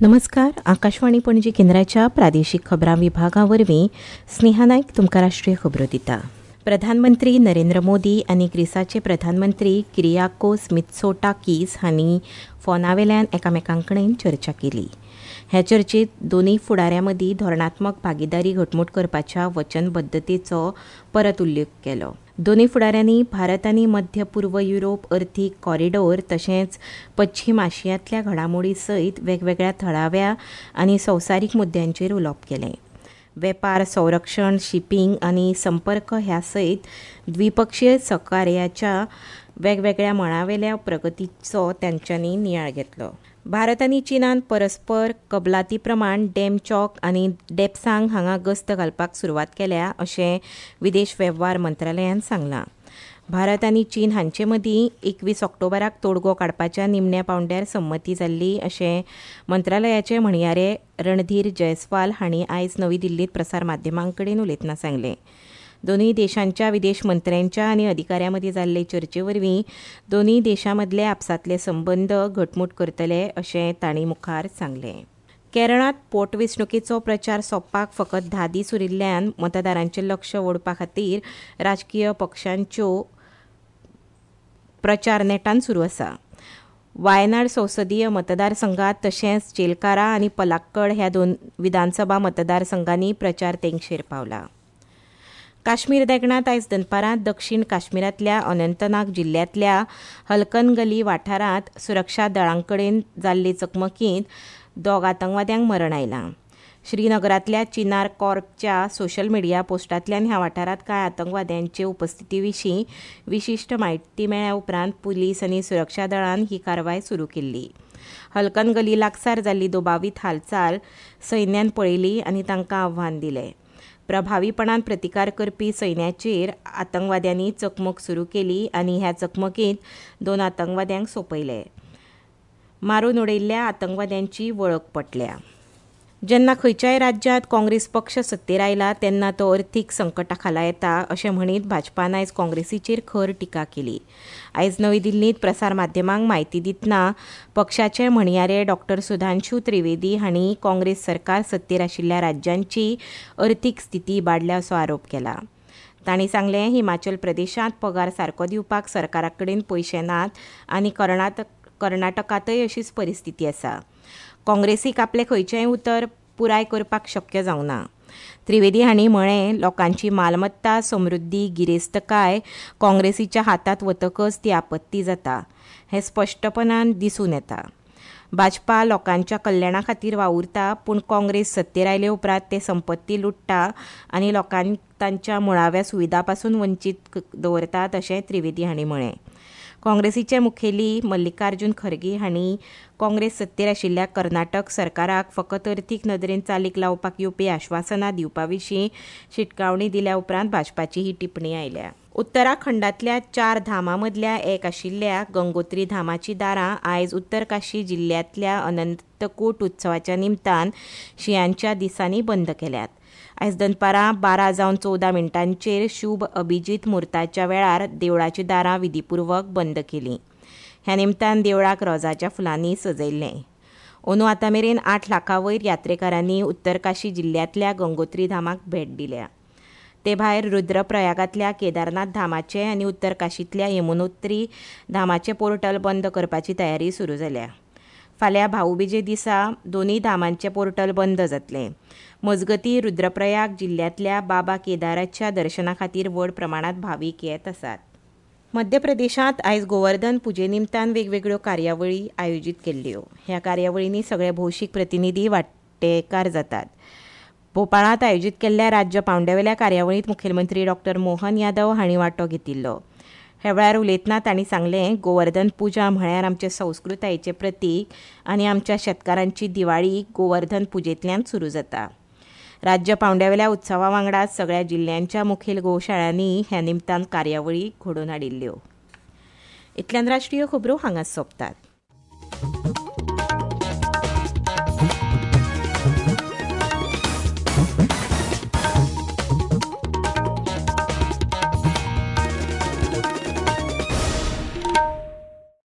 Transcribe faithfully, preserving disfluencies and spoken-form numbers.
नमस्कार, आकाशवाणी पणजी केंद्राच्या प्रादेशिक खबरां विभागा वरवीं स्नेहा नायक तुमकां राष्ट्रीय खबरो दिता. प्रधानमंत्री नरेंद्र मोदी आनी ग्रीसाचे प्रधानमंत्री किरियाकोस मित्सोटाकीस हांणी फोनावेल्यान एकामेकां कडेन चर्चा केली. ह्या चर्चेत दोनूय फुडाऱ्यां मदीं धोरणात्मक भागिदारी घटमूट करपाच्या वचनबद्दतेचो परत उल्लेख केलो. दोनूय फुडाऱ्यांनी भारत आनी मध्य पूर्व युरोप अर्थीक कॉरिडोर तशेंच पश्चीम आशियांतल्या घडामोडी सयत वेगवेगळ्या थळाव्या आनी संवसारीक मुद्द्यांचेर उलोवप केलें. वेपार, संरक्षण, शिपींग आनी संपर्क ह्या सयत द्विपक्षीय सहकार्याच्या वेगवेगळ्या मळावेल्या प्रगतीचो तांच्यांनी नियाळ घेतलो. भारत आनी चीनान परस्पर कबलाती प्रमाण डेमचॉक आनी डेपसांग हांगा गस्त घालपाक सुरवात केल्या अशें विदेश वेव्हार मंत्रालयान सांगलां. भारत आनी चीन हांचे मदीं एकवीस ऑक्टोबराक तोडगो काडपाच्या निमण्या पांवड्यार संमती जाल्ली अशें मंत्रालयाचे म्हणयारे रणधीर जयस्वाल हांणी आयज नवी दिल्लींत प्रसार माध्यमां कडेन उलयतना सांगलें. दोनूय देशांच्या विदेश मंत्र्यांच्या आनी अधिकाऱ्यां मदीं जाल्ले चर्चे वरवीं दोनूय देशां मदले आपसांतले संबंद घटमूट करतले अशें तांणी मुखार सांगलें. केरळांत पोटवेंचणुकेचो प्रचार सोंपपाक फकत धा दीस उरिल्ल्यान मतदारांचें लक्ष ओडपा खातीर राजकीय पक्षांच्यो प्रचार नेटान सुरू आसा. वायनाड संसदीय मतदारसंघात तशेंच चेलकारा आनी पलाक्कड ह्या दोन विधानसभा मतदारसंघांनी प्रचार तेंगशेर पावला. काश्मीर देगणांत आयज दनपारां दक्षिण काश्मीरांतल्या अनंतनाग जिल्ल्यांतल्या हलकनगली वाठारांत सुरक्षा दळां कडेन जाल्ले चकमकींत दोग आतंकवाद्यांक मरण आयलां. श्रीनगरांतल्या चिनार कॉर्पच्या सोशल मिडिया पोस्टांतल्यान ह्या वाठारांत कांय आतंकवाद्यांचे उपस्थिती विशीं विशिश्ट म्हायती मेळ्ळ्या उपरांत पुलीस आनी सुरक्षा दळान ही कारवाय सुरू केल्ली. हलकनगली लागसार जाल्ली दुबावीत हालचाल सैन्यान पळयली आनी तांकां आव्हान दिलें. प्रभावीपणान प्रतिकार करपी सैन्याचेर आतंकवाद्यांनी चकमक सुरू केली आनी ह्या चकमकींत दोन आतंकवाद्यांक सोंपयले. मारून उडयल्ल्या आतंकवाद्यांची वळख पटल्या. जेन्ना खंयच्याय राज्यांत काँग्रेस पक्ष सत्तेर आयला तेन्ना तो अर्थीक संकटा खाला येता अशें म्हणीत भाजपान आयज काँग्रेसीचेर खर टिका केली. आयज नवी दिल्लींत प्रसार माध्यमांक म्हायती दितना पक्षाचे म्हणयारे डॉक्टर सुधांशू त्रिवेदी हांणी काँग्रेस सरकार सत्तेर आशिल्ल्या राज्यांची अर्थीक स्थिती इबाडल्या असो आरोप केला. तांणी सांगलें, हिमाचल प्रदेशांत पगार सारको दिवपाक सरकारा कडेन पयशे नात आनी कर्नाटक कर्नाटकांतय अशीच परिस्थिती आसा. काँग्रेसीक आपलें खंयचेंय उतर पुराय करपाक शक्य जावंक ना. त्रिवेदी हांणी म्हळें, लोकांची मालमत्ता, समृद्धी, गिरेस्तकाय काँग्रेसीच्या हातांत वतकच ती आपत्ती जाता हें स्पश्टपणान दिसून येता. भाजपा लोकांच्या कल्याणा खातीर वावुरता, पूण काँग्रेस सत्तेर आयले उपरांत ते संपत्ती लुट्टा आनी लोकांक तांच्या मुळाव्या सुविधा पासून वंचीत दवरतात अशें त्रिवेदी हांणी म्हळें. काँग्रेसीचे मुखेली मल्लिकार्जुन खरगे हांणी काँग्रेस सत्तेर आशिल्ल्या कर्नाटक सरकाराक फकत अर्थीक नदरेन चालीक लावपाक येवपी आश्वासनां दिवपा विशीं शिटकावणी दिल्या उपरांत भाजपाची ही टिप्पणी आयल्या. उत्तराखंडांतल्या चार धामां मदल्या एक आशिल्ल्या गंगोत्री धामाची दारां आयज उत्तरकाशी जिल्ल्यांतल्या अनंतकूट उत्सवाच्या निमतान शिंयांच्या दिसांनी बंद केल्यात. आयज दनपारां बारा जावन चवदा मिनटांचेर शुभ अभिजीत मुहूर्ताच्या वेळार देवळाची दारां विधीपूर्वक बंद केलीं. ह्या निमतान देवळाक रोजाच्या फुलांनी सजयल्लें. अंदू आतां मेरेन आठ लाखां वयर यात्रेकारांनी उत्तरकाशी जिल्ल्यांतल्या गंगोत्री धामाक भेट दिल्या. ते भायर रुद्रप्रयागांतल्या केदारनाथ धामाचें आनी उत्तरकाशींतल्या यमुनोत्री धामाचें पोर्टल बंद करपाची तयारी सुरू जाल्या. फाल्यां भाऊबीजे दिसा दोनूय धामांचें पोर्टल बंद जातलें. मजगतीं, रुद्रप्रयाग जिल्ल्यांतल्या बाबा केदाराच्या दर्शना खातीर व्हड प्रमाणांत भावीक येत आसात. मध्य प्रदेशांत आयज गोवर्धन पुजे निमतान वेगवेगळ्यो कार्यावळी आयोजीत केल्ल्यो. ह्या कार्यावळींनी सगळे भौशीक प्रतिनिधी वांटेकार जातात. भोपाळांत आयोजीत केल्ल्या राज्य पांवड्यावेल्या कार्यावळींत मुखेलमंत्री डॉक्टर मोहन यादव हांणी वांटो घेतिल्लो. ह्या वेळार उलयतना तांणी सांगलें, गोवर्धन पुजा म्हळ्यार आमचे संस्कृतायेचें प्रतीक आनी आमच्या शेतकारांची दिवाळी गोवर्धन पुजेंतल्यान सुरू जाता. राज्य पांवड्यावेल्या उत्सवा वांगडा सगळ्या जिल्ल्यांच्या मुखेल गोशाळांनी ह्या निमतान कार्यावळी घडोवन हाडिल्ल्यो. इतल्यान राष्ट्रीय खबरो हांगाच सोंपतात.